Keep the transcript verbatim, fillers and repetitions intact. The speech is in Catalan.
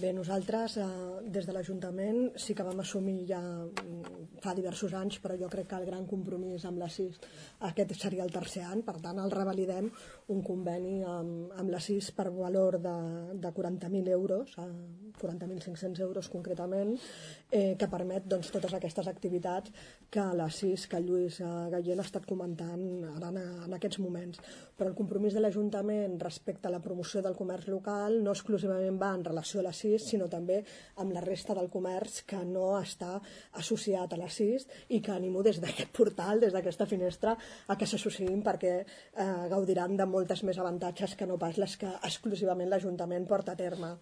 Bé, nosaltres eh, des de l'Ajuntament sí que vam assumir ja mm, fa diversos anys, però jo crec que el gran compromís amb la SIS, aquest seria el tercer any, per tant el revalidem un conveni amb, amb la SIS per valor de, de quaranta mil euros, eh, quaranta mil cinc-cents euros concretament, eh, que permet doncs, totes aquestes activitats que la SIS, que Lluís eh, Gallén ha estat comentant ara en, en aquests moments. Però el compromís de l'Ajuntament respecte a la promoció del comerç local no exclusivament va en relació a la SIS, sinó també amb la resta del comerç que no està associat a la SIS i que animo des d'aquest portal, des d'aquesta finestra, a que s'associïn perquè eh, gaudiran de moltes més avantatges que no pas les que exclusivament l'Ajuntament porta a terme.